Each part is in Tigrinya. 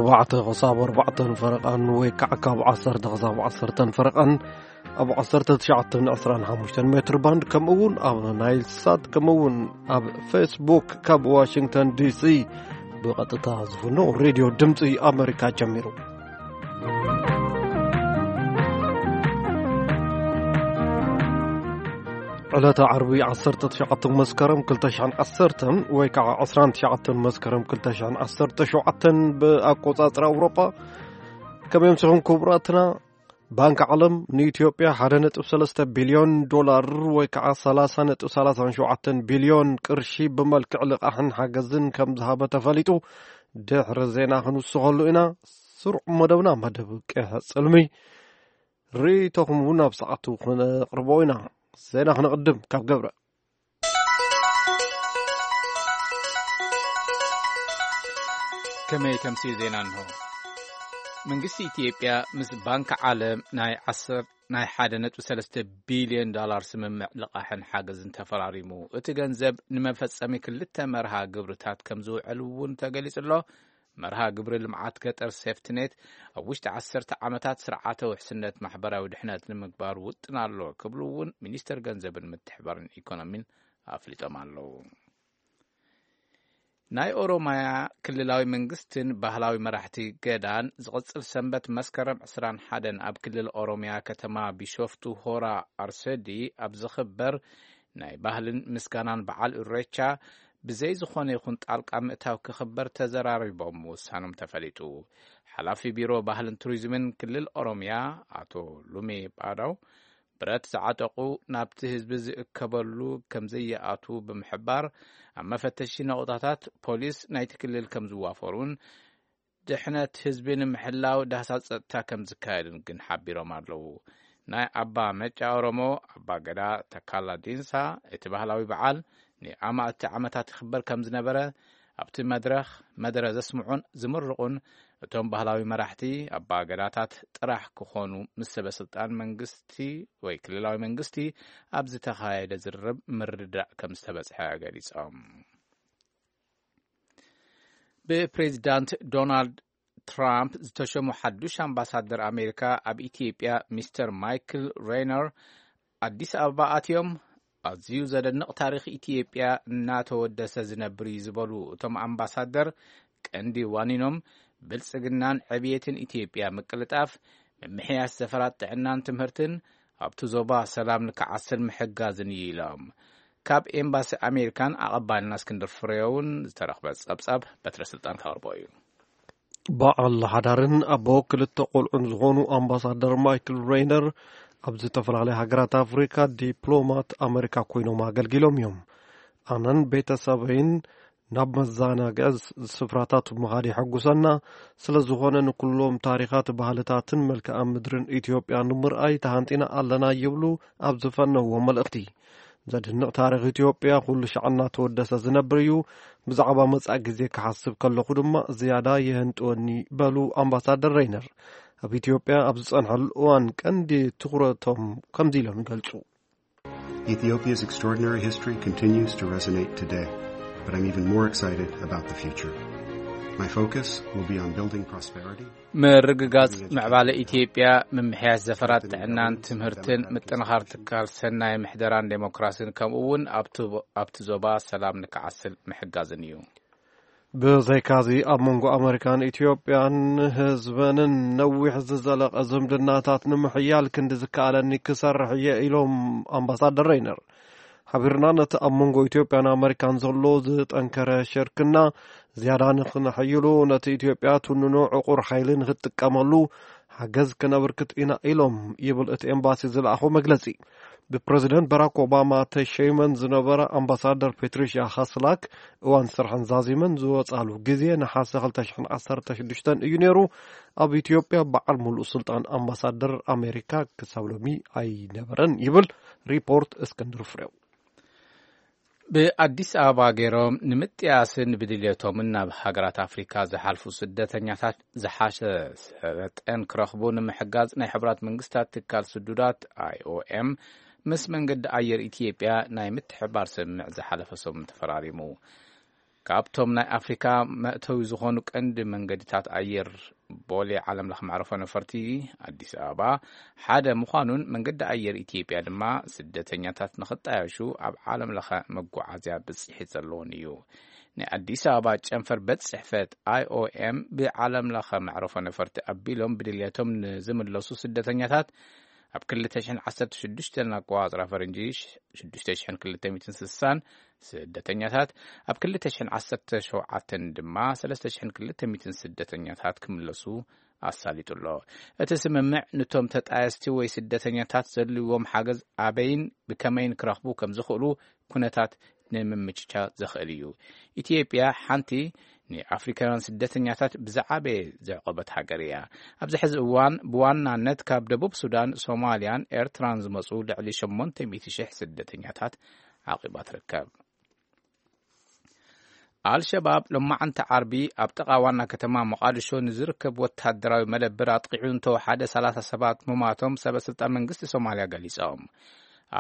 ኣርባዕተ ክሳብ ኣርባዕተን ፈረቓን ወይ ከዓ ካብ ዓሰርተ ክሳብ ዓሰርተን ፈረቓን ኣብ ዓሰርተ ትሽዓተን ዕስራን ሓሙሽተን ሜትር ባንድ፣ ከምኡ እውን ኣብ ናይል ሳት፣ ከምኡ እውን ኣብ ፌስቡክ ካብ ዋሽንግተን ዲሲ ብቐጥታ ዝፍኖ ሬድዮ ድምፂ ኣሜሪካ ጀሚሩ። ዕለተ ዓርቢ ዓሰርተ ትሽዓተ መስከረም ክልተ ሽሕን ዓሰርተን ወይ ከዓ ዕስራን ትሽዓተን መስከረም ክልተ ሽሕን ዓሰርተ ሸውዓተን ብኣቆጻጽራ ኣውሮጳ። ከመይ ኣምሲኹም ክቡራትና? ባንክ ዓለም ንኢትዮጵያ ሓደ ነጥቢ ሰለስተ ቢልዮን ዶላር ወይ ከዓ ሰላሳ ነጥቢ ሰላሳ ሸውዓተ ቢልዮን ቅርሺ ብመልክዕ ልቓሕን ሓገዝን ከም ዝሃበ ተፈሊጡ። ድሕሪ ዜና ክንውስኸሉ ኢና። ስሩዕ መደብና መደብ ቀይሕ ጽልሚ። ርእይቶኹም እውን ኣብ ሰዓቱ ክነቕርቦ ኢና። ዜና ክነቕድም ካብ ገብረ። ከመይ ተምሲ ዜና እንሆ። መንግስቲ ኢትዮጵያ ምስ ባንክ ዓለም ናይ ዓሰርተ፣ ናይ ሓደ ነጥቢ ሰለስተ ቢልዮን ዶላር ስምምዕ ልቓሕን ሓገዝን ተፈራሪሙ። እቲ ገንዘብ ንመፈጸሚ ክልተ መርሃ ግብርታት ከም ዝውዕል እውን ተገሊጹ ኣሎ። መርሃ ግብሪ ልምዓት ገጠር ሴፍትኔት ኣብ ውሽጢ ዓሰርተ ዓመታት ስርዓተ ውሕስነት ማሕበራዊ ድሕነት ንምግባር ውጥን ኣሎ ክብሉ እውን ሚኒስተር ገንዘብን ምትሕባርን ኢኮኖሚን ኣፍሊጦም ኣለዉ። ናይ ኦሮማያ ክልላዊ መንግስትን ባህላዊ መራሕቲ ገዳን ዝቕጽል ሰንበት መስከረም ዕስራን ሓደን ኣብ ክልል ኦሮሚያ ከተማ ቢሾፍቱ ሆራ ኣርሰዲ ኣብ ዝኽበር ናይ ባህልን ምስጋናን በዓል ኢሬቻ ብዘይ ዝኾነ ይኹን ጣልቃ ምእታው ክኽበር ተዘራሪቦም ምውሳኖም ተፈሊጡ። ሓላፊ ቢሮ ባህልን ቱሪዝምን ክልል ኦሮሚያ ኣቶ ሉሜ ባዳው ብረት ዝዓጠቑ ናብቲ ህዝቢ ዝእከበሉ ከም ዘይኣትዉ ብምሕባር፣ ኣብ መፈተሺ ነቑጣታት ፖሊስ ናይቲ ክልል ከም ዝዋፈሩን ድሕነት ህዝቢ ንምሕላው ዳህሳስ ጸጥታ ከም ዝካየድን ግን ሓቢሮም ኣለዉ። ናይ ኣባ መጫ ኦሮሞ ኣባ ገዳ ተካላ ዲንሳ እቲ ባህላዊ በዓል ንኣማእቲ ዓመታት ይኽበር ከም ዝነበረ ኣብቲ መድረኽ መደረ ዘስምዑን ዝምርቑን እቶም ባህላዊ መራሕቲ ኣባ ገዳታት ጥራሕ ክኾኑ ምስ ሰበ ስልጣን መንግስቲ ወይ ክልላዊ መንግስቲ ኣብ ዝተኻየደ ዝርርብ ምርድዳእ ከም ዝተበጽሐ ገሊጾም። ብፕሬዚዳንት ዶናልድ ትራምፕ ዝተሸሙ ሓዱሽ ኣምባሳደር ኣሜሪካ ኣብ ኢትዮጵያ ሚስተር ማይክል ሬይነር ኣዲስ ኣበባ ኣትዮም። ኣዝዩ ዘደንቕ ታሪኽ ኢትዮጵያ እናተወደሰ ዝነብር እዩ ዝበሉ እቶም ኣምባሳደር፣ ቀንዲ ዋኒኖም ብልጽግናን ዕብየትን ኢትዮጵያ ምቅልጣፍ፣ ምምሕያሽ ዘፈራት ጥዕናን ትምህርትን ኣብቲ ዞባ ሰላም ንክዓስል ምሕጋዝን እዩ ኢሎም። ካብ ኤምባሲ ኣሜሪካን ኣቐባልና እስክንድር ፍሬውን ዝተረኽበ ጸብጻብ በትረ ስልጣን ከቕርቦ እዩ። በዓል ሓዳርን ኣቦ ክልተ ቆልዑን ዝኾኑ ኣምባሳደር ማይክል ሬይነር ኣብ ዝተፈላለያ ሃገራት ኣፍሪካ ዲፕሎማት ኣመሪካ ኮይኖም ኣገልጊሎም እዮም። ኣነን ቤተሰበይን ናብ መዘናግዒ ስፍራታት ምኻድ የሐጉሰና። ስለ ዝኾነ ንኩሎም ታሪኻት፣ ባህልታትን መልክዓ ምድርን ኢትዮጵያ ንምርኣይ ተሃንጢና ኣለና ይብሉ ኣብ ዝፈነዎ መልእኽቲ። ዘድንቕ ታሪኽ ኢትዮጵያ ኩሉ ሻዕ እናተወደሰ ዝነብር እዩ። ብዛዕባ መጻኢ ግዜ ክሓስብ ከለኹ ድማ ዝያዳ የህንጥወኒ በሉ ኣምባሳደር ሬይነር። ኣብ ኢትዮጵያ ኣብ ዝጸንሐሉ እዋን ቀንዲ ትኹረቶም ከምዚ ኢሎም ይገልጹ። Ethiopia's extraordinary history continues to resonate today, but I'm even more excited about the future. My focus will be on building prosperity. ምርግጋጽ ምዕባለ ኢትዮጵያ፣ ምምሕያሽ ዘፈራት ጥዕናን ትምህርትን፣ ምጥንኻር ትካል ሰናይ ምሕደራን ዴሞክራሲን፣ ከምኡ እውን ኣብቲ፣ ኣብቲ ዞባ ሰላም ንክዓስል ምሕጋዝን እዩ። ብዘይካዚ ኣብ መንጎ ኣመሪካን ኢትዮጵያን ህዝበንን ነዊሕ ዝዘለቐ ዝምድናታት ንምሕያል ክንዲ ዝከኣለኒ ክሰርሕ እየ ኢሎም ኣምባሳደር ሬይነር። ሓቢርና ነቲ ኣብ መንጎ ኢትዮጵያን ኣመሪካን ዘሎ ዝጠንከረ ሽርክና ዝያዳ ንኽነሐይሉ፣ ነቲ ኢትዮጵያ ትውንኖ ዕቑር ሓይሊ ንኽትጥቀመሉ ሓገዝ ክነብርክት ኢና ኢሎም ይብል እቲ ኤምባሲ ዝለኣኾ መግለጺ። ብፕረዚደንት ባራክ ኦባማ ተሸይመን ዝነበራ ኣምባሳደር ፔትሪሽያ ሃስላክ እዋን ስርሐን ዛዚመን ዝወጻሉ ግዜ ነሓሰ ክልተ ሽሕን ዓሰርተ ሽዱሽተን እዩ ነይሩ። ኣብ ኢትዮጵያ በዓል ሙሉእ ስልጣን ኣምባሳደር ኣሜሪካ ክሳብ ሎሚ ኣይነበረን ይብል ሪፖርት እስክንድር ፍሬው። ብኣዲስ ኣበባ ገይሮም ንምጥያስን ብድልየቶምን ናብ ሃገራት ኣፍሪካ ዝሓልፉ ስደተኛታት ዝሓሸ ሰለጤን ክረኽቡ ንምሕጋዝ ናይ ሕቡራት መንግስታት ትካል ስዱዳት፣ ኣይኦኤም፣ ምስ መንገዲ ኣየር ኢትዮጵያ ናይ ምትሕባር ስምምዕ ዝሓለፈ ሰሙን ተፈራሪሙ። ካብቶም ናይ ኣፍሪካ መእተዊ ዝኾኑ ቀንዲ መንገድታት ኣየር ቦሌ ዓለም ለኸ መዕረፎ ነፈርቲ ኣዲስ ኣበባ ሓደ ምዃኑን፣ መንገዲ ኣየር ኢትዮጵያ ድማ ስደተኛታት ንኽጣየሹ ኣብ ዓለም ለኸ መጓዓዝያ ብፅሒት ዘለዎን እዩ። ናይ ኣዲስ ኣበባ ጨንፈር ቤት ፅሕፈት I O M ብዓለም ለኸ መዕረፎ ነፈርቲ ኣቢሎም ብድልየቶም ንዝምለሱ ስደተኛታት ኣብ ክልተ ሽሕን ዓሰርተ ሽዱሽተን ኣቆፃፅራ ፈረንጂ ሽዱሽተ ሽሕን ክልተ ሚእትን ስሳን ስደተኛታት፣ ኣብ ክልተ ሽሕን ዓሰርተ ሸውዓተን ድማ ሰለስተ ሽሕን ክልተ ሚእትን ስደተኛታት ክምለሱ ኣሳሊጡ ኣሎ። እቲ ስምምዕ ንቶም ተጣየስቲ ወይ ስደተኛታት ዘድልዎም ሓገዝ ኣበይን ብከመይን ክረኽቡ ከም ዝኽእሉ ኩነታት ንምምችቻ ዘኽእል እዩ። ኢትዮጵያ ሓንቲ ንኣፍሪካውያን ስደተኛታት ብዝዓበየ ዘዕቆበት ሃገር እያ። ኣብዚ ሕዚ እዋን ብዋናነት ካብ ደቡብ ሱዳን፣ ሶማልያን ኤርትራን ዝመፁ ልዕሊ ሸሞንተ ሚእቲ ሽሕ ስደተኛታት ዓቂባ ትርከብ። ኣልሸባብ ሎማዓንቲ ዓርቢ ኣብ ጥቓ ዋና ከተማ ሞቓድሾ ንዝርከብ ወታደራዊ መደብር ኣጥቂዑ እንተወሓደ ሰላሳ ሰባት ምማቶም ሰበ ስልጣን መንግስቲ ሶማልያ ገሊጾም።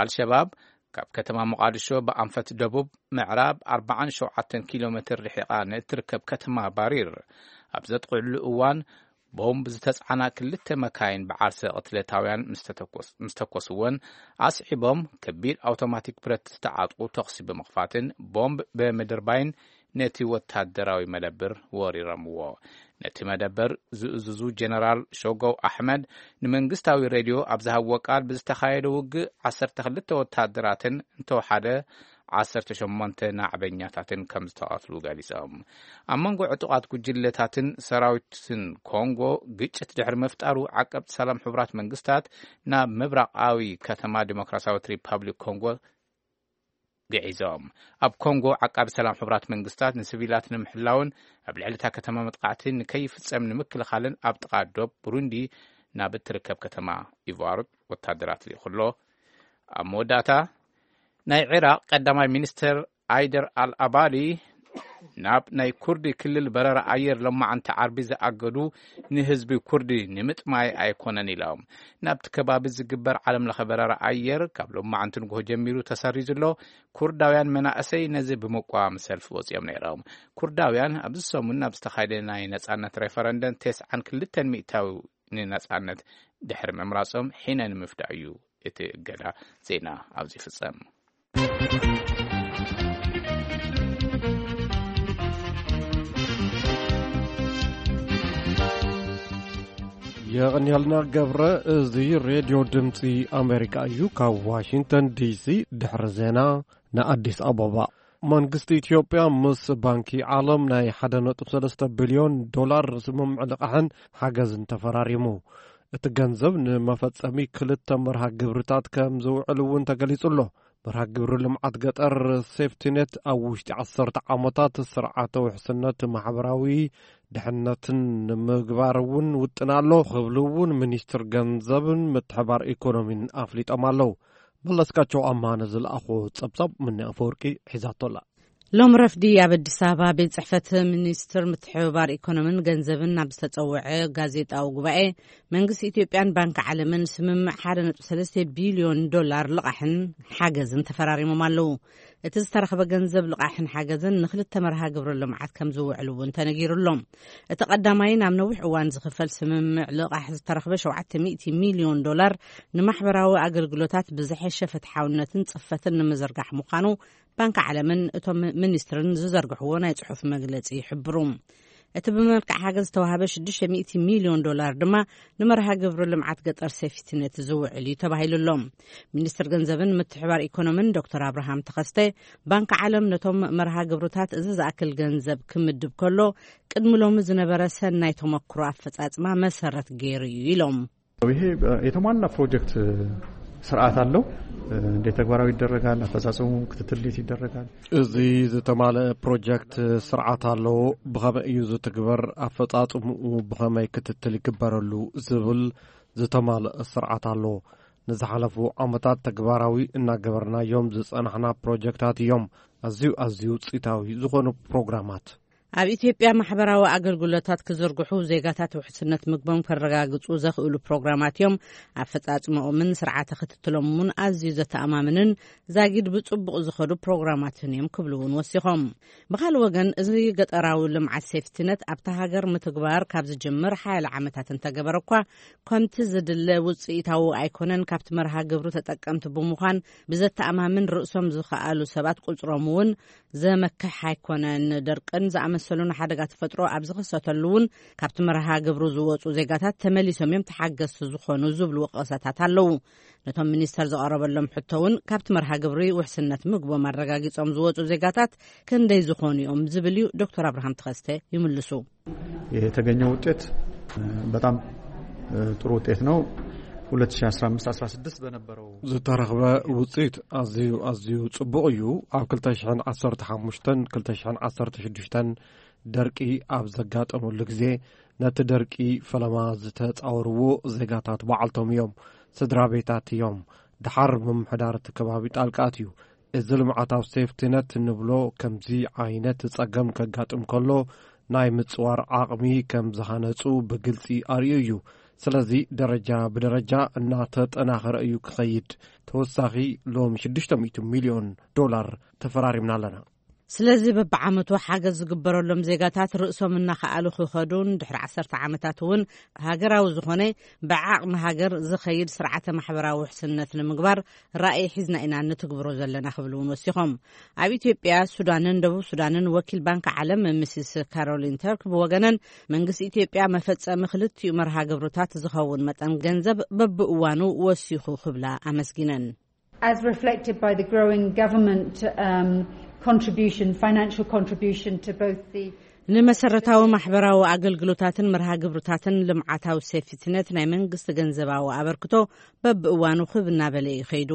ኣልሸባብ ካብ ከተማ ሞቓድሾ ብኣንፈት ደቡብ ምዕራብ ኣርባዓን ሸውዓተን ኪሎ ሜትር ርሒቓ ንእትርከብ ከተማ ባሪር ኣብ ዘጥቕዕሉ እዋን፣ ቦምብ ዝተጻዕና ክልተ መካይን ብዓርሰ ቅትለታውያን ምስ ተተኮስ-፣ ምስ ተኮስወን፣ ኣስዒቦም ከቢድ ኣውቶማቲክ ብረት ዝተዓጥቁ ተኹሲ ብምኽፋትን ቦምብ ብምድርባይን ነቲ ወታደራዊ መደብር ወሪሮምዎ። ነቲ መደበር ዝእዝዙ ጀነራል ሾጎው ኣሕመድ ንመንግስታዊ ሬድዮ ኣብ ዝሃብዎ ቃል፣ ብዝተኻየደ ውግእ ዓሰርተ ክልተ ወታደራትን እንተወሓደ ዓሰርተ ሸሞንተ ናዕበኛታትን ከም ዝተቐትሉ ገሊጾም። ኣብ መንጎ ዕጡቓት ጉጅለታትን ሰራዊትን ኮንጎ ግጭት ድሕሪ ምፍጣሩ፣ ዓቀብቲ ሰላም ሕቡራት መንግስታት ናብ ምብራቓዊ ከተማ ዲሞክራሲያዊት ሪፓብሊክ ኮንጎ ግዒዞም። ኣብ ኮንጎ ዓቃቢ ሰላም ሕቡራት መንግስታት ንሲቪላት ንምሕላውን ኣብ ልዕሊ እታ ከተማ መጥቃዕቲ ንከይፍጸም ንምክልኻልን ኣብ ጥቓ ዶብ ቡሩንዲ ናብ እትርከብ ከተማ ኢቫር ወታደራት ልኢኹ ኣሎ። ኣብ መወዳእታ፣ ናይ ዒራቕ ቀዳማይ ሚኒስትር ኣይደር ኣል ኣባዲ ናብ ናይ ኩርዲ ክልል በረራ ኣየር ሎማዓንቲ ዓርቢ ዝኣገዱ ንህዝቢ ኩርዲ ንምጥማይ ኣይኮነን ኢሎም። ናብቲ ከባቢ ዝግበር ዓለም ለኸ በረራ ኣየር ካብ ሎማዓንቲ ንግሆ ጀሚሩ ተሰሪዙ ኣሎ። ኩርዳውያን መናእሰይ ነዚ ብምቋም ሰልፊ ወፂኦም ነይሮም። ኩርዳውያን ኣብዚ ሰሙን ኣብ ዝተኻየደ ናይ ነፃነት ሬፈረንደም ተስዓን ክልተን ሚእታዊ ንነፃነት ድሕሪ ምምራፆም ሒነ ንምፍዳእ እዩ እቲ እገዳ። ዜና ኣብዚ ይፍጸም። የቐንየልና ገብረ። እዚ ሬድዮ ድምፂ ኣሜሪካ እዩ። ካብ ዋሽንግተን ዲሲ ድሕሪ ዜና ንኣዲስ ኣበባ። መንግስቲ ኢትዮጵያ ምስ ባንኪ ዓለም ናይ ሓደ ነጥቢ ሰለስተ ቢልዮን ዶላር ስምምዕ ልቓሕን ሓገዝን ተፈራሪሙ። እቲ ገንዘብ ንመፈጸሚ ክልተ መርሃ ግብርታት ከም ዝውዕል እውን ተገሊጹ ኣሎ። መርሃ ግብሪ ልምዓት ገጠር ሴፍቲኔት ኣብ ውሽጢ ዓሰርተ ዓመታት ስርዓተ ውሕስነት ማሕበራዊ ድሕነትን ንምግባር እውን ውጥን ኣሎ ክብሉ እውን ሚኒስትር ገንዘብን ምትሕባር ኢኮኖሚን ኣፍሊጦም ኣለዉ። መለስካቸው ኣማነ ዝለኣኾ ጸብጻብ ምኒ ኣፈወርቂ ሒዛቶ ኣላ። ሎም ረፍዲ ኣብ ኣዲስ ኣበባ ቤት ጽሕፈት ሚኒስትር ምትሕብባር ኢኮኖሚን ገንዘብን ናብ ዝተጸውዐ ጋዜጣዊ ጉባኤ፣ መንግስቲ ኢትዮጵያን ባንክ ዓለምን ስምምዕ ሓደ ነጥቢ ሰለስተ ቢልዮን ዶላር ልቓሕን ሓገዝን ተፈራሪሞም ኣለዉ። እቲ ዝተረኽበ ገንዘብ ልቓሕን ሓገዝን ንክልተ መርሃ ግብሪ ልምዓት ከም ዝውዕል እውን ተነጊሩ ኣሎ። እቲ ቀዳማይ ናብ ነዊሕ እዋን ዝኽፈል ስምምዕ ልቓሕ ዝተረኽበ ሸውዓተ ሚእቲ ሚልዮን ዶላር ንማሕበራዊ ኣገልግሎታት ብዝሐሸ ፍትሓውነትን ጽፈትን ንምዝርጋሕ ምዃኑ ባንክ ዓለምን እቶም ሚኒስትርን ዝዘርግሕዎ ናይ ጽሑፍ መግለጺ ይሕብሩ። እቲ ብመልክዕ ሓገዝ ዝተዋህበ ሽዱሽተ ሚእቲ ሚልዮን ዶላር ድማ ንመርሃ ግብሪ ልምዓት ገጠር ሴፍቲኔት ዝውዕል እዩ ተባሂሉ ኣሎ። ሚኒስትር ገንዘብን ምትሕባር ኢኮኖሚን ዶክተር ኣብርሃም ተኸስተ፣ ባንክ ዓለም ነቶም መርሃ ግብርታት እዚ ዝኣክል ገንዘብ ክምድብ ከሎ፣ ቅድሚ ሎሚ ዝነበረ ሰናይ ተመክሮ ኣፈጻጽማ መሰረት ገይሩ እዩ ኢሎም። ይሄ የተሟላ ፕሮጀክት ስርዓት አለው። እንዴት ተግባራዊ ይደረጋል? አፈጻጸሙ ክትትል እንዴት ይደረጋል? እዚ ዝተማልአ ፕሮጀክት ስርዓት ኣለዎ። ብኸመይ እዩ ዝትግበር? ኣፈጻጽምኡ ብኸመይ ክትትል ይግበረሉ? ዝብል ዝተማልአ ስርዓት ኣለዎ። ንዝሓለፉ ዓመታት ተግባራዊ እናገበርናዮም ዝጸናሕና ፕሮጀክታት እዮም። ኣዝዩ፣ ኣዝዩ ውጽኢታዊ ዝኾኑ ፕሮግራማት። ኣብ ኢትዮጵያ ማሕበራዊ ኣገልግሎታት ክዝርግሑ፣ ዜጋታት ውሕስነት ምግቦም ከረጋግጹ ዘኽእሉ ፕሮግራማት እዮም። ኣፈጻጽማኦምን ስርዓተ ክትትሎም እውን ኣዝዩ ዘተኣማምንን ዛጊድ ብጽቡቕ ዝኸዱ ፕሮግራማትን እዮም ክብሉ እውን ወሲኾም። ብኻልእ ወገን፣ እዚ ገጠራዊ ልምዓት ሴፍቲነት ኣብታ ሃገር ምትግባር ካብ ዝጅምር ሓያለ ዓመታት እንተገበረ እኳ፣ ከምቲ ዝድለ ውጽኢታዊ ኣይኮነን። ካብቲ መርሃ ግብሩ ተጠቀምቲ ብምዃን ብዘተኣማምን ርእሶም ዝኸኣሉ ሰባት ቁጽሮም እውን ዘመክሕ ኣይኮነን። ደርቅን ዝኣመሰሉ ንሓደጋ ተፈጥሮ ኣብ ዝኸሰተሉ እውን ካብቲ መርሃ ግብሩ ዝወጹ ዜጋታት ተመሊሶም እዮም ተሓገዝቲ ዝኾኑ ዝብሉ ወቀሳታት ኣለዉ። ነቶም ሚኒስተር ዝቐረበሎም ሕቶ እውን ካብቲ መርሃ ግብሪ ውሕስነት ምግቦም ኣረጋጊጾም ዝወጹ ዜጋታት ክንደይ ዝኾኑ እዮም ዝብል እዩ። ዶክተር ኣብርሃም ተኸስተ ይምልሱ። የተገኘው ውጤት በጣም ጥሩ ውጤት ነው። ሁለት ሺ አስራ አምስት አስራ ስድስት በነበረው ዝተረኽበ ውፅኢት ኣዝዩ ኣዝዩ ጽቡቕ እዩ። ኣብ ክልተ ሽሕን ዓሰርተ ሓሙሽተን ክልተ ሽሕን ዓሰርተ ሽዱሽተን ደርቂ ኣብ ዘጋጠመሉ ግዜ፣ ነቲ ደርቂ ፈለማ ዝተጻወርዎ ዜጋታት ባዕልቶም እዮም፣ ስድራ ቤታት እዮም። ድሓር ምምሕዳር እቲ ከባቢ ጣልቃ ኣትዩ። እዚ ልምዓታዊ ሴፍቲነት እንብሎ ከምዚ ዓይነት ጸገም ከጋጥም ከሎ ናይ ምጽዋር ዓቕሚ ከም ዝሃነጹ ብግልጺ ኣርእዩ እዩ። ስለዚ ደረጃ ብደረጃ እናተጠናኸረ እዩ ክኸይድ። ተወሳኺ ሎሚ ሽዱሽተ ሚእቲ ሚልዮን ዶላር ተፈራሪምና ኣለና። ስለዚ በብዓመቱ ሓገዝ ዝግበረሎም ዜጋታት ርእሶም እናኸኣሉ ክኸዱን ድሕሪ ዓሰርተ ዓመታት እውን ሃገራዊ ዝኾነ ብዓቕሚ ሃገር ዝኸይድ ስርዓተ ማሕበራዊ ውሕስነት ንምግባር ራእይ ሒዝና ኢና ንትግብሮ ዘለና ክብሉ እውን ወሲኾም። ኣብ ኢትዮጵያ፣ ሱዳንን ደቡብ ሱዳንን ወኪል ባንክ ዓለም ሚስስ ካሮሊን ተርክ ብወገነን መንግስቲ ኢትዮጵያ መፈጸሚ ክልቲኡ መርሃ ግብርታት ዝኸውን መጠን ገንዘብ በብእዋኑ ወሲኹ ክብላ ኣመስጊነን። As reflected by the growing government um, contribution, financial contribution to both the ንመሰረታዊ ማሕበራዊ ኣገልግሎታትን መርሃ ግብርታትን ልምዓታዊ ሴፍቲነት ናይ መንግስቲ ገንዘባዊ ኣበርክቶ በብእዋኑ ክብ እናበለ እዩ ከይዱ።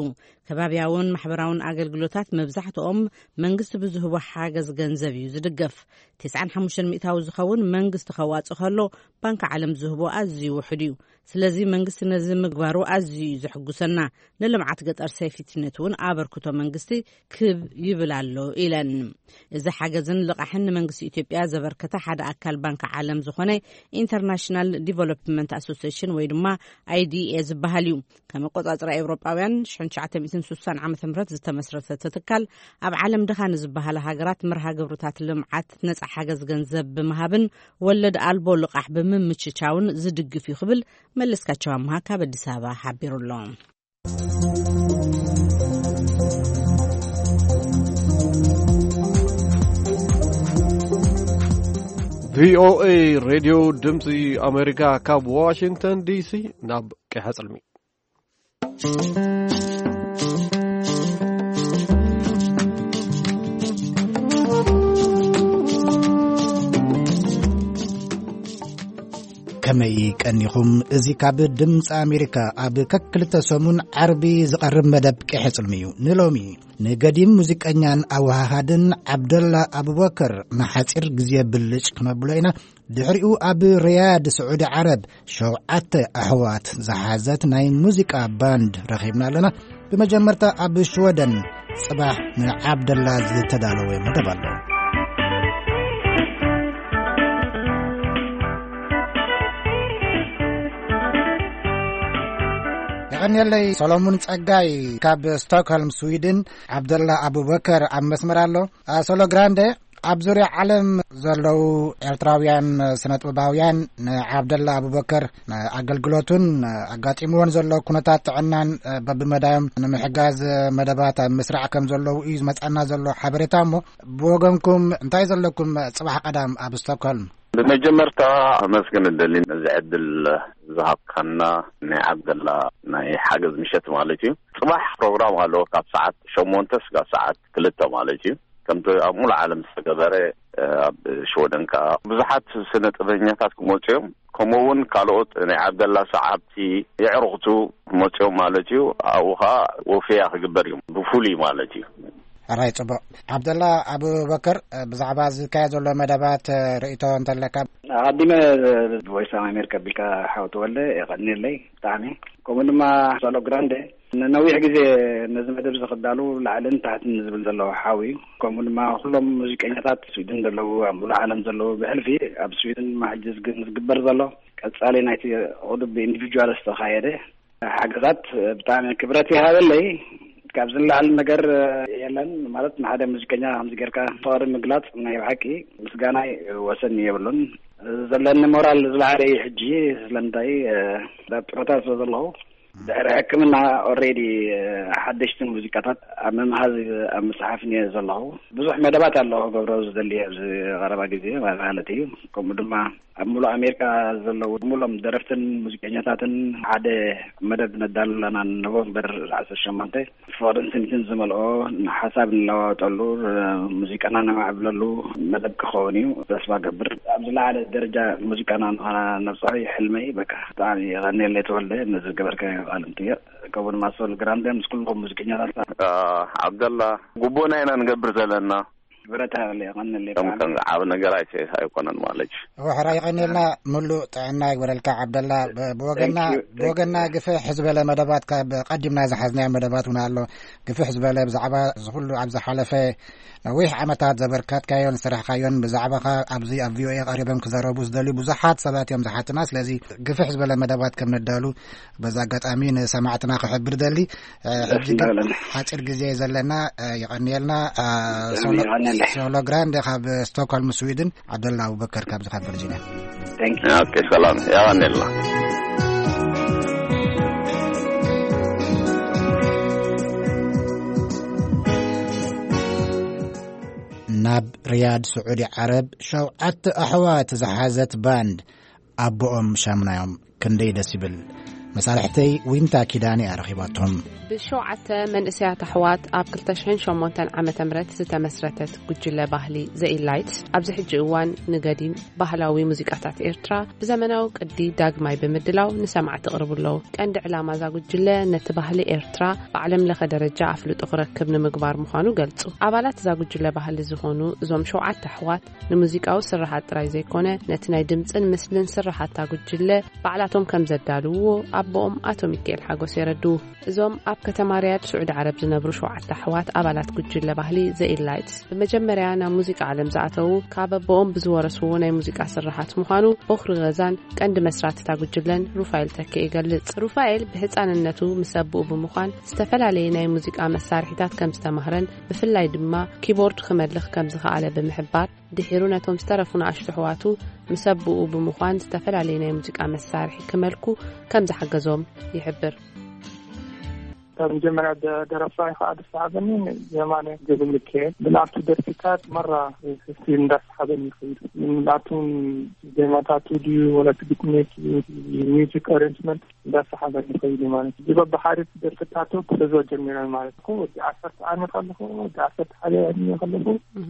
ከባብያውን ማሕበራውን ኣገልግሎታት መብዛሕትኦም መንግስቲ ብዝህቦ ሓገዝ ገንዘብ እዩ ዝድገፍ። ተስዓን ሓሙሽተን ሚእታዊ ዝኸውን መንግስቲ ከዋጽእ ከሎ፣ ባንክ ዓለም ዝህቦ ኣዝዩ ውሑድ እዩ። ስለዚ መንግስቲ ነዚ ምግባሩ ኣዝዩ እዩ ዘሕጉሰና። ንልምዓት ገጠር ሴፍቲነት እውን ኣበርክቶ መንግስቲ ክብ ይብል ኣሎ ኢለን። እዚ ሓገዝን ልቓሕን ንመንግስቲ ኢትዮጵያ ዘበርከተ ሓደ ኣካል ባንክ ዓለም ዝኾነ ኢንተርናሽናል ዲቨሎፕመንት ኣሶሲሽን ወይ ድማ ኣይዲኤ ዝበሃል እዩ። ከም ኣቆጻጽራ ኤውሮጳውያን ሽሕን ትሽዓተ ሚእትን ስሳን ዓመተ ምህረት ዝተመስረተ እቲ ትካል፣ ኣብ ዓለም ድኻ ንዝበሃላ ሃገራት መርሃ ግብርታት ልምዓት ነጻ ሓገዝ ገንዘብ ብምሃብን ወለድ ኣልቦ ልቓሕ ብምምችቻውን ዝድግፍ እዩ ክብል መለስካቸው ኣምሃ ካብ ኣዲስ ኣበባ ሓቢሩ ኣሎ። ቪኦኤ ሬድዮ ድምፂ ኣሜሪካ ካብ ዋሽንግተን ዲሲ ናብ ቀይሐ ፅልሚ። ከመይ ቀኒኹም? እዚ ካብ ድምፂ ኣሜሪካ ኣብ ከክልተ ሰሙን ዓርቢ ዝቐርብ መደብ ቀይሐ ጽልሚ እዩ። ንሎሚ ንገዲም ሙዚቀኛን ኣወሃሃድን ዓብደላ ኣቡበከር ንሓጺር ግዜ ብልጭ ክነብሎ ኢና። ድሕሪኡ ኣብ ሪያድ ስዑዲ ዓረብ ሸውዓተ ኣሕዋት ዝሓዘት ናይ ሙዚቃ ባንድ ረኺብና ኣለና። ብመጀመርታ ኣብ ሽወደን ጽባሕ ንዓብደላ ዝተዳለወ መደብ ኣሎ። የቐንየለይ ሰሎሙን ጸጋይ ካብ ስቶክሆልም ስዊድን፣ ዓብደላ ኣቡበከር ኣብ መስመር ኣሎ። ሶሎ ግራንደ፣ ኣብ ዙርያ ዓለም ዘለዉ ኤርትራውያን ስነጥበባውያን ንዓብደላ ኣቡበከር ኣገልግሎቱን ኣጋጢምዎን ዘሎ ኩነታት ጥዕናን በብመዳዮም ንምሕጋዝ መደባት ኣብ ምስራዕ ከም ዘለዉ እዩ ዝመጻና ዘሎ ሓበሬታ። እሞ ብወገንኩም እንታይ ዘለኩም ጽባሕ ቀዳም ኣብ ስቶክሆልም? ብመጀመርታ ኣመስግን እደሊ ነዚ ዕድል ዝሃብካና፣ ናይ ዓብደላ ናይ ሓገዝ ምሸት ማለት እዩ። ጽባሕ ፕሮግራም ኣለዎ ካብ ሰዓት ሸሞንተ ስጋብ ሰዓት ክልተ ማለት እዩ። ከምቲ ኣብ ሙሉ ዓለም ዝተገበረ፣ ኣብ ሽወደን ከኣ ብዙሓት ስነ ጥበበኛታት ክመጹ እዮም። ከምኡ እውን ካልኦት ናይ ዓብደላ ሰዓብቲ የዕሩኽቱ ክመጹ እዮም ማለት እዩ። ኣብኡ ከኣ ወፈያ ክግበር እዩ ብፍሉይ ማለት እዩ። ሕራይ ጽቡቕ። ዓብደላ ኣቡበከር፣ ብዛዕባ ዝካየድ ዘሎ መደባት ርእይቶ እንተለካ? ኣቐዲመ ቮይስ ኦፍ ኣሜሪካ ቢልካ ሓው ተወልደ የቐንየለይ ብጣዕሚ። ከምኡ ድማ ሶሎ ግራንደ ንነዊሕ ግዜ ነዚ መደብ ዝኽዳሉ ላዕልን ታሕትን ዝብል ዘለዎ ሓው እዩ። ከምኡ ድማ ኩሎም ሙዚቀኛታት ስዊድን ዘለዉ፣ ኣብ ሙሉእ ዓለም ዘለዉ፣ ብሕልፊ ኣብ ስዊድን ማሕጅዝ ግን ዝግበር ዘሎ ቀጻሊ ናይቲ ቁዱብ ብኢንዲቪጁዋል ዝተኻየደ ሓገዛት ብጣዕሚ ክብረት ይሃበለይ። ካብዚ ንላዕሊ ነገር የለን። ማለት ንሓደ ሙዚቀኛ ከምዚ ጌርካ ፍቕሪ ምግላጽ ናይ ብሓቂ ምስጋናይ ወሰን የብሉን። ዘለኒ ሞራል ዝለዓለ እዩ ሕጂ። ስለምንታይ? ኣብ ጡረታ ስለ ዘለኹ ድሕሪ ሕክምና ኦልሬዲ ሓደሽቲ ሙዚቃታት ኣብ ምምሃዝ ኣብ ምጽሓፍን እየ ዘለኹ። ብዙሕ መደባት ኣለኹ ክገብሮ ዝደሊ ኣብዚ ቀረባ ግዜ ማለት እዩ። ከምኡ ድማ ኣብ ሙሉእ ኣሜሪካ ዘለዉ ሙሎም ደረፍትን ሙዚቀኛታትን ሓደ መደብ ነዳሉ ኣለና። ኖቨምበር ዓሰርተ ሸሞንተ ፍቕርን ስኒትን ዝመልኦ ሓሳብ ንለዋወጠሉ፣ ሙዚቃና ነማዕብለሉ መደብ ክኸውን እዩ። ተስፋ ገብር ኣብ ዝለዓለ ደረጃ ሙዚቃና ንኸነብፅሖ እዩ ሕልመይ። በቃ ብጣዕሚ የቐንየለይ ተወልደ ነዚ ዝገበርከዮ ቃል እንትዮ። ከምኡ ድማ ሶል ግራንደ ምስ ኩልኹም ሙዚቀኛታት። አ፣ ዓብደላ፣ ግቡእና ኢና ንገብር ዘለና። ብረታ ያለ የቐንል ከም ከም ዓብ ነገር ኣይሰ ኣይኮነን ማለት እዩ። ወሕራ ይቐንልና። ምሉእ ጥዕና ይግበረልካ ዓብደላ። ብ- ብወገና Thank you, thank you. ብወገና ግፍሕ ዝበለ መደባት ካብ ቀዲምና ዝሓዝናዮ መደባት እውን ኣሎ። ግፍሕ ዝበለ ብዛዕባ እዚ ኩሉ ኣብ ዝሓለፈ ነዊሕ ዓመታት ዘበርካትካዮን ዝሰራሕካዮን ብዛዕባኻ ኣብዚ ኣብ ቪኦኤ ቀሪቦም ክዘረቡ ዝደልዩ ብዙሓት ሰባት እዮም ዝሓትና። ስለዚ ግፍሕ ዝበለ መደባት ከም ነዳሉ በዚ ኣጋጣሚ ንሰማዕትና ክሕብር ደሊ። እ፣ ሕጂ ግን ሓፂር ግዜ እዩ ዘለና። እ፣ ይቐንየልና። እ፣ ሶሎ- ይቐንየለይ። ሶሎ ግራንድ ካብ ስቶክሆልም ስዊድን፣ ዓብደላ ኣቡበከር ካብዚ ካብ ቨርጂኒያ። Thank you. ኦኬ፣ ሰላም፣ ይቐንየልና። ናብ ሪያድ ስዑዲ ዓረብ ሸውዓተ ኣሕዋት ዝሓዘት ባንድ ኣቦኦም ሻምናዮም። ክንደይ ደስ ይብል። መሳርሕተይ ዊንታ ኪዳነ እያ ረኺባቶም። ብሸውዓተ መንእሰያት ኣሕዋት ኣብ ክልተ ሽሕን ሸሞንተን ዓመተ ምህረት ዝተመስረተት ጉጅለ ባህሊ ዘ ኢላይትስ ኣብዚ ሕጂ እዋን ንገዲም ባህላዊ ሙዚቃታት ኤርትራ ብዘመናዊ ቅዲ ዳግማይ ብምድላው ንሰማዕቲ የቕርቡ ኣለዉ። ቀንዲ ዕላማ እዛ ጉጅለ ነቲ ባህሊ ኤርትራ ብዓለም ለኸ ደረጃ ኣፍልጦ ክረክብ ንምግባር ምዃኑ ገልጹ። ኣባላት እዛ ጉጅለ ባህሊ ዝኾኑ እዞም ሸውዓተ ኣሕዋት ንሙዚቃዊ ስርሓት ጥራይ ዘይኮነ፣ ነቲ ናይ ድምጽን ምስልን ስርሓታ ጉጅለ ባዕላቶም ከም ዘዳልውዎ ኣቦኦም ኣቶ ሚካኤል ሓጎስ የረድኡ። እዞም ኣብ ከተማ ሪያድ ስዑዲ ዓረብ ዝነብሩ ሸውዓተ ኣሕዋት ኣባላት ጉጅለ ባህሊ ዘ ኢላይትስ ብመጀመርያ ናብ ሙዚቃ ዓለም ዝኣተዉ ካብ ኣቦኦም ብዝወረስዎ ናይ ሙዚቃ ስርሓት ምዃኑ ቦኽሪ ገዛን ቀንዲ መስራቲ እታ ጉጅለን ሩፋኤል ተኪ ይገልጽ። ሩፋኤል ብህጻንነቱ ምስ ኣቦኡ ብምዃን ዝተፈላለየ ናይ ሙዚቃ መሳርሒታት ከም ዝተማህረን ብፍላይ ድማ ኪቦርድ ክመልኽ ከም ዝኸኣለ ብምሕባር፣ ድሒሩ ነቶም ዝተረፉ ንኣሽቱ ኣሕዋቱ ምስ ኣቦኡ ብምዃን ዝተፈላለየ ናይ ሙዚቃ መሳርሒ ክመልኩ ከም ዝሓገዞም ይሕብር። ካብ መጀመርያ ደ- ደረፋይ ከዓ ደስ ዝሓበኒ የማነ ገብረሚካኤል ብናቱ ደርፊታት መራ ህዝቢ እንዳሰሓበኒ ይኸይድ። ናቱን ዜማታቱ ድዩ ወላ እቲ ግጥሚ፣ እቲ ሚውዚክ ኣሬንጅመንት እንዳሰሓበኒ ይኸይድ ማለት እዩ። በብሓደ ደርፍታቱ ክሕዞ ጀሚረ ማለት እኮ ወዲ ዓሰርተ ዓመት ኣለኹ፣ ወዲ ዓሰርተ ሓደ ዕድመ ከለኹ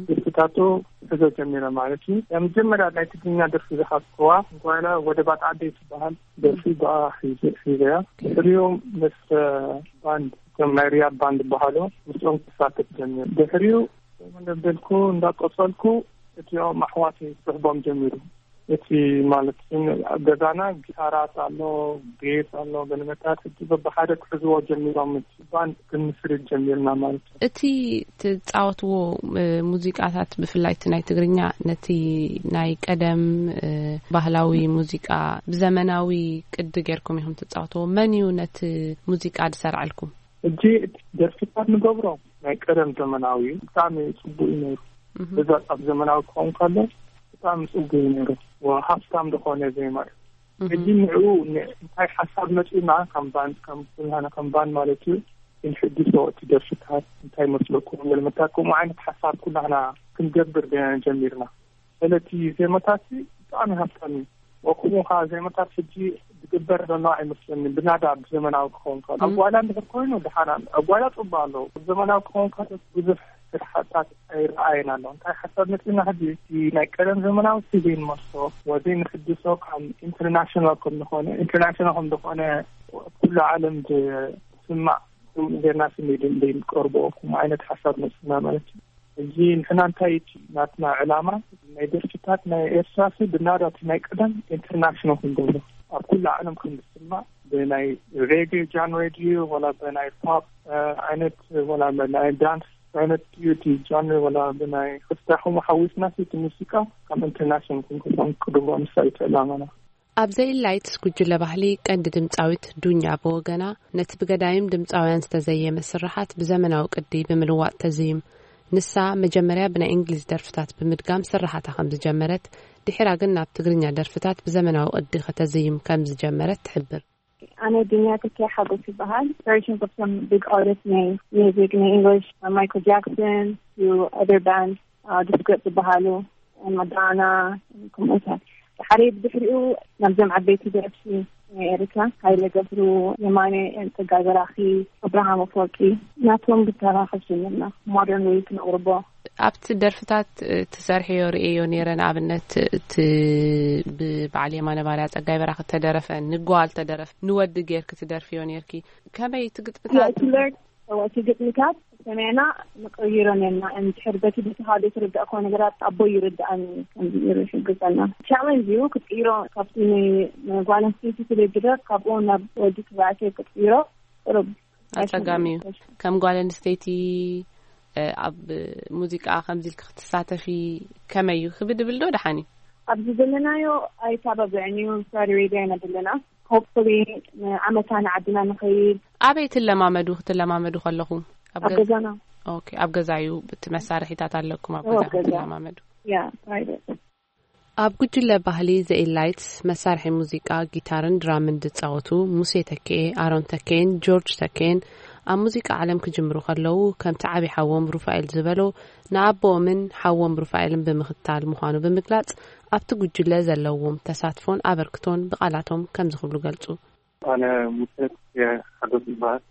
ደርፍታቱ ክሕዞ ጀሚረ ማለት እዩ። መጀመርያ ናይ ትግርኛ ደርፊ ዝሓዝኩዋ ጓይላ ወደ ባጣ ዓደይ ትበሃል ደርፊ ብኣ ሒዘ- ሒዘያ። ድሕሪኡ ምስ ባንድ፣ እቶም ናይ ሪያድ ባንድ ዝበሃሉ፣ ምስኦም ክሳተፍ ጀሚረ። ድሕሪኡ መደብ ደልኩ እንዳቆጸልኩ እቲኦም ኣሕዋተይ ክስሕቦም ጀሚሩ። እቲ ማለት ግን ኣብ ገዛና ጊታራት ኣሎ፣ ቤዝ ኣሎ፣ ገለመታት ሕጂ በብሓደ ክሕዝዎ ጀሚሮም፣ እቲ ባንድ ክንምስርት ጀሚርና ማለት እዩ። እቲ ትጻወትዎ፣ እ፣ ሙዚቃታት ብፍላይ እቲ ናይ ትግርኛ ነቲ ናይ ቀደም፣ እ፣ ባህላዊ ሙዚቃ ብዘመናዊ ቅዲ ጌርኩም ኢኹም ትጻወትዎ። መን እዩ ነቲ ሙዚቃ ዝሰርዐልኩም? ሕጂ እቲ ደርፍታት ንገብሮ ናይ ቀደም ዘመናዊ እዩ። ብጣዕሚ ጽቡቅ እዩ ነይሩ። እህ። በዛ ኣብ ዘመናዊ ክኸውን ከሎ ብጣዕሚ ጽቡቅ እዩ ነይሩ። ወ-፣ ሃፍታም ዝኾነ ዜማ እዩ። እህ። ሕጂ ንዕኡ ን-፣ እንታይ ሓሳብ መጺኡና ከም ባንድ፣ ከም ኩላህና ከም ባንድ ማለት እዩ፣ ክንሕድሶ እቲ ደርፍታት እንታይ መስለኩም? ገለመታት ከምኡ ዓይነት ሓሳብ ኩላህና ክንገብር ደ-፣ ጀሚርና። ስለቲ ዜማታት ብጣዕሚ ሃፍታም እዩ። ወክምኡ ከዓ ዜማታት ሕጂ ዝግበር ዘሎ ኣይመስለኒ፣ ብናዳ ብዘመናዊ ክኸውን ከሎ። እም። ኣብ ጓይላ እንድሕር ኮይኑ ደሓን ኣሎ። ኣብ ጓይላ ጽቡቅ ኣለዉ። ኣብ ዘመናዊ ክኸውን ከሎ ብዙሕ ስራሕታት ኣይረኣየን ኣሎ። እንታይ ሓሳብ መጺና ሕጂ? እቲ ናይ ቀደም ዘመናዊ ስቪን መስሎ ወዘይ ንሕድሶ ከም ኢንተርናሽናል ከም ዝኾነ፣ ኢንተርናሽናል ከም ዝኾነ ኩሉ ዓለም ዝስማዕ ጌርና ስንድ ዘይንቀርቦ፣ ከምኡ ዓይነት ሓሳብ መፅና ማለት እዩ። እዚ ንሕና እንታይ እቲ ናትና ዕላማ ናይ ደርፍታት ናይ ኤርትራሲ ብናዳቲ ናይ ቀደም ኢንተርናሽናል ክንገብሮ፣ ኣብ ኩሉ ዓለም ከም ዝስማዕ ብናይ ሬጌ ጃንሬ ድዩ ወላ ብናይ ፖፕ ዓይነት ወላ ብናይ ዳንስ ዓይነት ድዩ እቲ ጃንሬ ወላ ብናይ ክስታኹም ሓዊስና እቲ ሙዚቃ ከም ኢንተርናሽናል ክንገብሮ ክንቅድቦ ንሳ እዩ ዕላማና። ኣብ ዘይላይትስ ጉጅለ ባህሊ ቀንዲ ድምፃዊት ዱኛ ብወገና፣ ነቲ ብገዳይም ድምፃውያን ዝተዘየመ ስርሓት ብዘመናዊ ቅዲ ብምልዋጥ ተዝይም። ንሳ መጀመርያ ብናይ እንግሊዝ ደርፍታት ብምድጋም ስርሓታ ከም ዝጀመረት፣ ድሒራ ግን ናብ ትግርኛ ደርፍታት ብዘመናዊ ቅዲ ከተዝይም ከም ዝጀመረት ትሕብር። ኣነ ድንያ ተኪያ ሓጎስ ይበሃል። Inspiration of some big artists ናይ ሚውዚክ ናይ ኢንግሊሽ፣ ማይክል ጃክሰን፣ to other bands, ዲስኮ ዝበሃሉ፣ ማዳና፣ ከምኡታት። ሓደ ብድሕሪኡ ናብዞም ዓበይቲ ደረፍቲ ናይ ኤርትራ፣ ሃይለ ገብሩ፣ የማነ፣ ጸጋይ በራኺ፣ ኣብርሃም ኣፈወርቂ፣ ናቶም ብተራኸብ ጀሚርና ሞደርን ወይ ክነቕርቦ። ኣብቲ ደርፍታት ትሰርሕዮ ርእዮ ነይረ። ንኣብነት እቲ ብበዓል የማነ ባርያ ጸጋይ በራኺ ተደረፈ፣ ንጓል ተደረፈ፣ ንወዲ ጌርኪ ትደርፍዮ ነይርኪ። ከመይ እቲ ግጥምታት? እቲ ግጥምታት ሰሚዕና ንቀይሮ ነና። እንድሕር በቲ በቲ ሓደ ትርዳእኮ ነገራት ኣቦ ይርዳእኒ ከምዚ ይሕግዘና። ቻለንጅ እዩ ክትቅይሮ፣ ካብቲ ንጓል ኣንስተይቲ ስለ ዝደር ካብኡ ናብ ወዲ ተባዕታይ ክትቅይሮ ቅሩብ ኣጸጋሚ እዩ። ከም ጓል ኣንስተይቲ ኣብ ሙዚቃ ከምዚ ኢልክ ክትሳተፊ ከመይ እዩ ክብድብል ዶ ደሓን እዩ? ኣብዚ ዘለናዮ ኣይተባብዕን እዩ። ሳሪ ሬድዮ ኢና ዘለና። ሆፕፉሊ ንዓመታ ንዓድና ንኸይድ። ኣበይ ትለማመዱ? ክትለማመዱ ከለኹም ኣብ ኣብ ገዛ? ገዛና። ኦኬ፣ ኣብ ገዛ እዩ። እቲ መሳርሒታት ኣለኩም ኣብ ኣብ ገዛ ገዛ። ክትለማመዱ? ያ፣ ፕራይቬት። ኣብ ጉጅለ ባህሊ ዘኢላይትስ መሳርሒ ሙዚቃ ጊታርን ድራምን ዝጻወቱ ሙሴ ተኬ፣ ኣሮን ተኬን ጆርጅ ተኬን፣ ኣብ ሙዚቃ ዓለም ክጅምሩ ከለዉ፣ ከምቲ ዓቢ ሓዎም ሩፋኤል ዝበሎ፣ ንኣቦኦምን ሓዎም ሩፋኤልን ብምኽታል ምዃኑ ብምግላጽ፣ ኣብቲ ጉጅለ ዘለዎም ተሳትፎን ኣበርክቶን ብቓላቶም ከምዚ ክብሉ ገልጹ። ኣነ ሙሴ ተኬ ሓጎስ ይበሃል።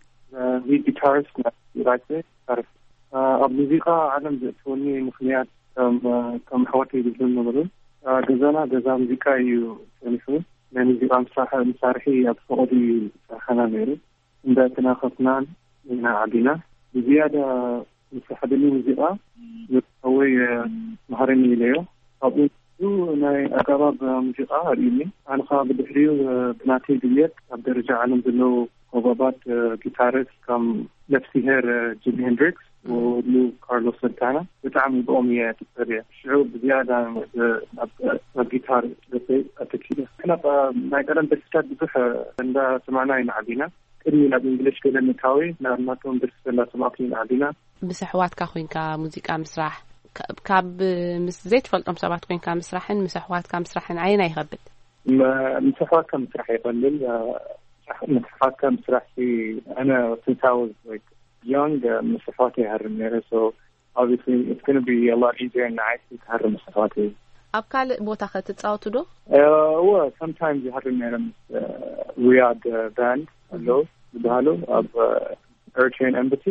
ሊድ ጊታሪስት ናይ ራይት ጊታሪስት። ኣብ ሙዚቃ ዓለም ዘእተወኒ ምኽንያት ከም፣ ከም ኣሕዋተይ ዝብሉ ነበሩ። ገዛና ገዛ ሙዚቃ እዩ ጸኒሑ። ናይ ሙዚቃ መሳርሒ፣ መሳርሒ ኣብ ፈቐዱ እዩ ዝሰርሓና ነይሩ። እንዳተናኸፍናን ኢና ዓቢና። ብዝያዳ ዝስሓበኒ ሙዚቃ፣ ሓወይ መሃረኒ ኢለዮ። ካብኡ ናይ ኣገባብ ሙዚቃ ኣርእዩኒ። ኣነ ኸኣ ብድሕሪኡ ብናተይ ድልየት ኣብ ደረጃ ዓለም ዘለዉ ኮበባት ጊታሪስት ከም ነፍስሄር ጂሚ ሄንድሪክስ፣ ወሉ ካርሎስ ሰንታና፣ ብጣዕሚ ብኦም እየ ትጸልየ። ሽዑ ብዝያዳ ናብ፣ ናብ ጊታር ልበይ ኣተኪለ። ክና ናይ ቀደም ደርፍታት ብዙሕ እንዳሰማዕና ኢና ዓቢና። ቅድሚ ናብ እንግሊሽ ገለ ምእታወይ ናብ ናቶም ደርፍታት እንዳሰማዕኩ ኢና ዓቢና። ምስ ኣሕዋትካ ኮይንካ ሙዚቃ ምስራሕ፣ ካ-፣ ካብ ምስ ዘይትፈልጦም ሰባት ኮይንካ ምስራሕን ምስ ኣሕዋትካ ምስራሕን ኣየናይ ይኸብድ? መ-፣ ምስ ኣሕዋትካ ምስራሕ ይቐልል። እ፣ ምስ ኣሕዋትካ ምስራሕ ሲ፣ ኣነ since I was, like, young፣ እ፣ ምስ ኣሕዋተይ ይሃርም ነይረ። So obviously it's gonna be a lot easier ንዓይ ክሃርም ምስ ኣሕዋተይ። ኣብ ካልእ ቦታ ከ ትጻወቱ ዶ? እ፣ እወ፣ sometimes ይሃርም ነይረ ምስ፣ እ፣ ሪያድ፣ እ፣ ባንድ ኣለዉ ዝበሃሉ ኣብ፣ እ፣ ኤሪትሪያን ኤምባሲ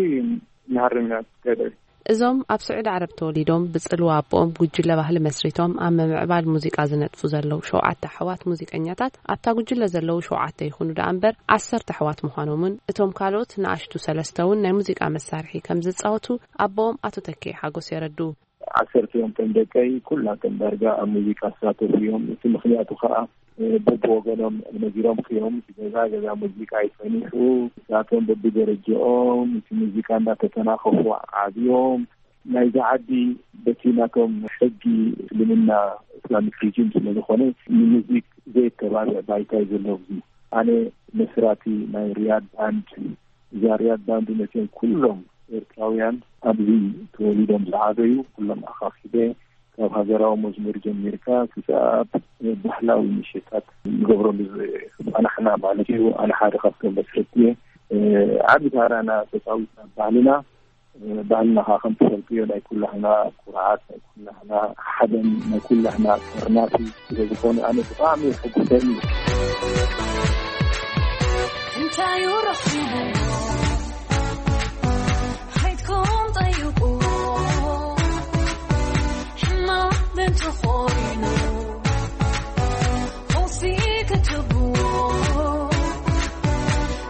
ንሃርም ኢና together። እዞም ኣብ ስዑዲ ዓረብ ተወሊዶም ብጽልዋ ኣቦኦም ጉጅለ ባህሊ መስሪቶም ኣብ ምምዕባል ሙዚቃ ዝነጥፉ ዘለዉ ሸውዓተ ኣሕዋት ሙዚቀኛታት ኣብታ ጉጅለ ዘለዉ ሸውዓተ ይኹኑ ደኣ እምበር ዓሰርተ ኣሕዋት ምዃኖምን እቶም ካልኦት ንኣሽቱ ሰለስተ እውን ናይ ሙዚቃ መሳርሒ ከም ዝጻወቱ ኣቦኦም ኣቶ ተኬ ሓጎስ የረድኡ። ዓሰርተ እዮም እቶም ደቀይ፣ ኩላቶም ዳርጋ ኣብ ሙዚቃ ዝሳተፉ እዮም። እቲ ምኽንያቱ ኸኣ፣ እ፣ በብወገኖም ነጊሮምኪ እዮም። እቲ ገዛ ገዛ ሙዚቃ እዩ ጸኒሑ። ንሳቶም በብደረጃኦም እቲ ሙዚቃ እንዳተተናኸፉ ዓብዮም። ናይዛ ዓዲ በቲ ናቶም ሕጊ እስልምና፣ ኢስላሚክ ሪጂም ስለ ዝኾነ፣ ንሙዚክ ዘየተባብዕ ባይታ እዩ ዘሎ። ኣብዚ ኣነ መስራቲ ናይ ሪያድ ባንድ፣ እዛ ሪያድ ባንድ ነቶም ኩሎም ኤርትራውያን ኣብዚ ተወሊዶም ዝዓበዩ ኩሎም ኣኻኺበ፣ ካብ ሃገራዊ መዝሙር ጀሚርካ ክሳብ ባህላዊ ምሽታት ንገብረሉ ዝጸናሕና ማለት እዩ። ኣነ ሓደ ካብቶም መስረቲ እየ። እ፣ ዓቢ ታራና ተጻዊትና ባህልና፣ እ፣ ባህልና ኸዓ ከም ትፈልጥዮ ናይ ኩላህና ኩርዓት፣ ናይ ኩላህና ሓበን፣ ናይ ኩላህና ጠርናፊ ስለ ዝኾነ ኣነ ብጣዕሚ የሐጉሰኒ። እንታይ እዩ ረኺቡ? ሓይትኩም ጠይቁ፣ ሕማም እንተኾይኑ፣ ፈውሲ ክትቡ፣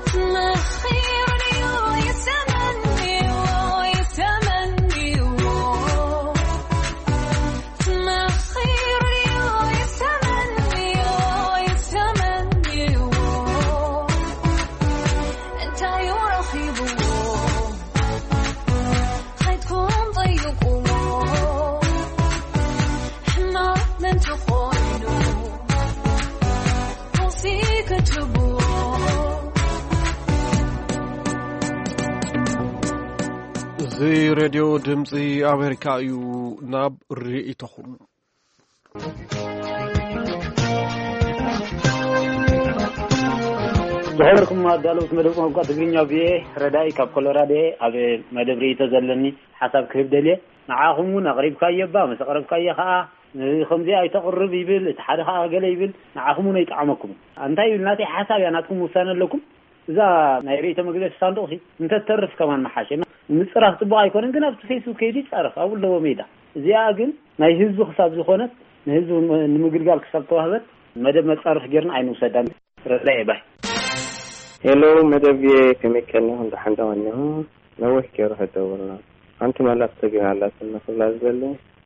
ትመኺሩ ድዩ? እዚ ሬድዮ ድምፂ ኣሜሪካ እዩ። ናብ ርእይቶኹም። ዝኸበርኩም ኣዳለውቲ መደብ ቋንቋ ትግርኛ ቪኦኤ፣ ረዳኢ ካብ ኮሎራዶ እየ። ኣብ መደብ ርእይቶ ዘለኒ ሓሳብ ክህብ ደልየ። ንዓኹም እውን ኣቕሪብካዮ እባ፣ ምስ ኣቕረብካዮ ኸዓ ከምዚ ኣይተቕርብ ይብል፣ እቲ ሓደ ኸዓ ገለ ይብል። ንዓኹም እውን ኣይጠዓመኩም። እንታይ ይብል፣ ናተይ ሓሳብ እያ፣ ናትኩም ውሳነ ኣለኩም። እዛ ናይ ርእይቶ መግለጺ ሳንዱቕ ሲ እንተትተርፍ ከማን መሓሸ። ምጽራፍ ጽቡቕ ኣይኮነን፣ ግን ኣብቲ ፌስቡክ ከይዱ ይጻረፍ፣ ኣብኡ ኣለዎ ሜዳ። እዚኣ ግን ናይ ህዝቢ ክሳብ ዝኾነት፣ ንህዝቢ ንምግልጋል ክሳብ ተዋህበት፣ መደብ መጻርፍ ጌርና ኣይንውሰዳን። ረዳየ ባይ። ሄሎ መደብ፣ ከመይ ቀኒኹም? ደሓን ዶ ቀኒኹም? ነዊሕ ገይሩ ከይደወልና። ሓንቲ መልእኽቲ ግን ኣላትኒ ክብላ ዝደሊ።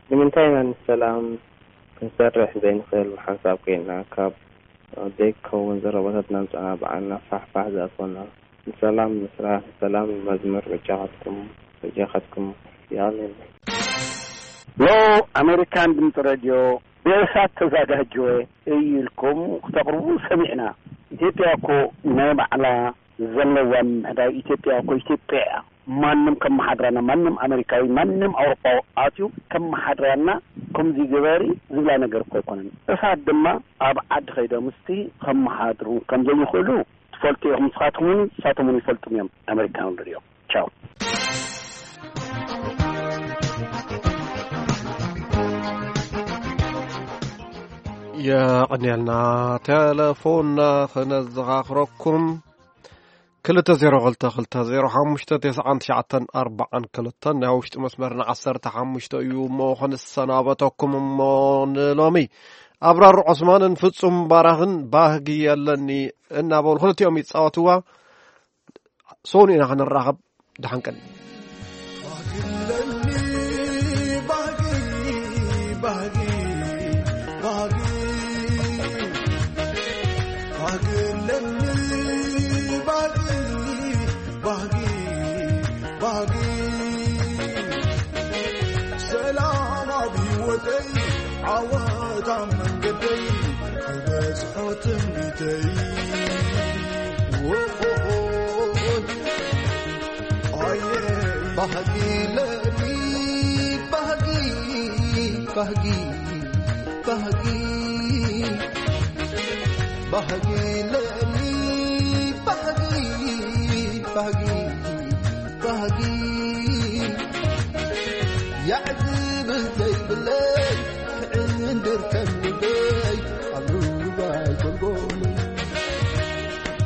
ንምንታይ ኢና ንሰላም ክንሰርሕ ዘይንኽእል? ብሓንሳብ ኮይንና ካብ ዘይከውን ዘረባታት እናምጻእና ባዕልና ፋሕፋሕ ዝኣትወና። ንሰላም ንስራሕ፣ ንሰላም ንመዝምር። በጃኻትኩም፣ በጃኻትኩም። የቐንየለይ። ሎ ኣሜሪካን ድምፂ ሬድዮ፣ ብእሳት ተዛጋጀወ እዩ ኢልኩም ክተቕርቡ ሰሚዕና። ኢትዮጵያ እኮ ናይ ባዕላ ዘለዋ ምምሕዳር፣ ኢትዮጵያ እኮ ኢትዮጵያ እያ። ማንም ከመሓድራና፣ ማንም ኣሜሪካዊ፣ ማንም ኣውሮፓዊ ኣትዩ ከመሓድራና፣ ከምዚ ግበሪ ዝብላ ነገር እኮ ኣይኮነን። እሳት ድማ ኣብ ዓዲ ከይዶም እስቲ ከመሓድሩ ከም ዘይኽእሉ ትፈልጡ ኢኹም ንስኻትኩም እውን፣ ንሳቶም እውን ይፈልጡ እዮም፣ ኣሜሪካን ሬድዮ። ቻው። የቐንየልና። ቴሌፎንና ክነዘኻኽረኩም፣ ክልተ ዜሮ ክልተ ክልተ ዜሮ ሓሙሽተ ተስዓን ትሽዓተን ኣርባዓን ክልተን። ናይ ውሽጢ መስመርና ዓሰርተ ሓሙሽተ እዩ እሞ ክንሰናበተኩም እሞ ንሎሚ ኣብራር ዑስማንን ፍጹም ባራኽን ባህጊ የለኒ እናበሉ ክልቲኦም ይጻወትዋ። ሶኑ ኢና ክንራኸብ። ደሓን ቀኒ። ሰላም ኣብ ህይወተይ፣ ዓወት ኣብ መንገደይ፣ ክበጽሖ ትምኒተይ። ኦሆሆ፣ ኣየ፣ ባህጊ ለኒ፣ ባህጊ፣ ባህጊ፣ ባህጊ፣ ባህጊ ለኒ፣ ባህጊ፣ ባህጊ። ባህጊ ያዕዝብል ዘይብለይ፣ ክዕንድር ከም ልበይ ኣብ ሩባይ ጎልጎል።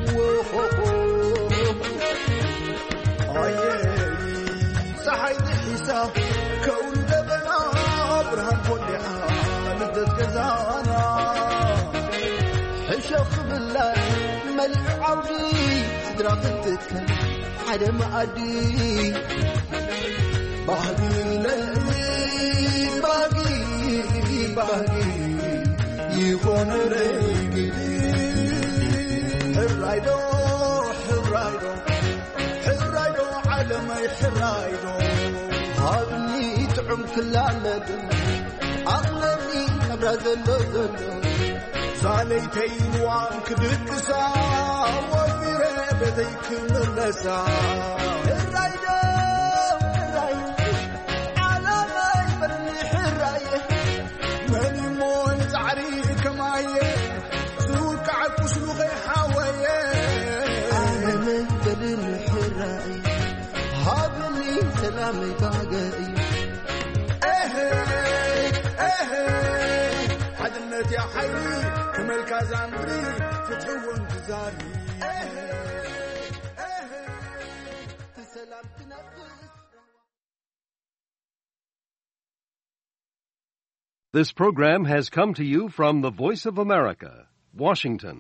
ወሆሆ፣ ኣየ፣ ጸሓይ ጥሒሳ ከውሊ ደበና፣ ብርሃን ኮሊዓ ልደት ገዛና። ሕሸኽ ክብላ መሊዑ ዓውዲ፣ ስድራ ክትትከል ሓደ መኣዲ። ባህጊ ለኒ፣ ባህጊ፣ ባህጊ ይኾነ ረይግዲ። ሕራይ ዶ፣ ሕራይ ዶ፣ ሕራይ ዶ፣ ዓለመይ ሕራይ ዶ፣ ሃብኒ ጥዑም ክላለድ፣ ኣኽለኒ ናብራ ዘሎ ዘሎ። ሳለይተይ ንዋም ክድቅሳ፣ ወፊረ ቤተይ ክምለሳ። ሕራይ ዶ፣ ሕራይ፣ ዓለመይ በልኒ ሕራይ። መን እሞ ንጻዕሪ ከማየ፣ ዝውቃዕ ቁስሉ ከይሓወየ። ዓለመይ በልኒ ሕራይ፣ ሃብኒ ሰላመይ ባገይ። ኤሄ፣ ኤሄ፣ ሓድነት ያ ሓይሊ፣ ክመልካ ዛምሪ፣ ፍትሒ እውን ትዛሪ። ኤሄ፣ ኤሄ፣ ብሰላም ትነፍስ። This program has come to you from the Voice of America, Washington.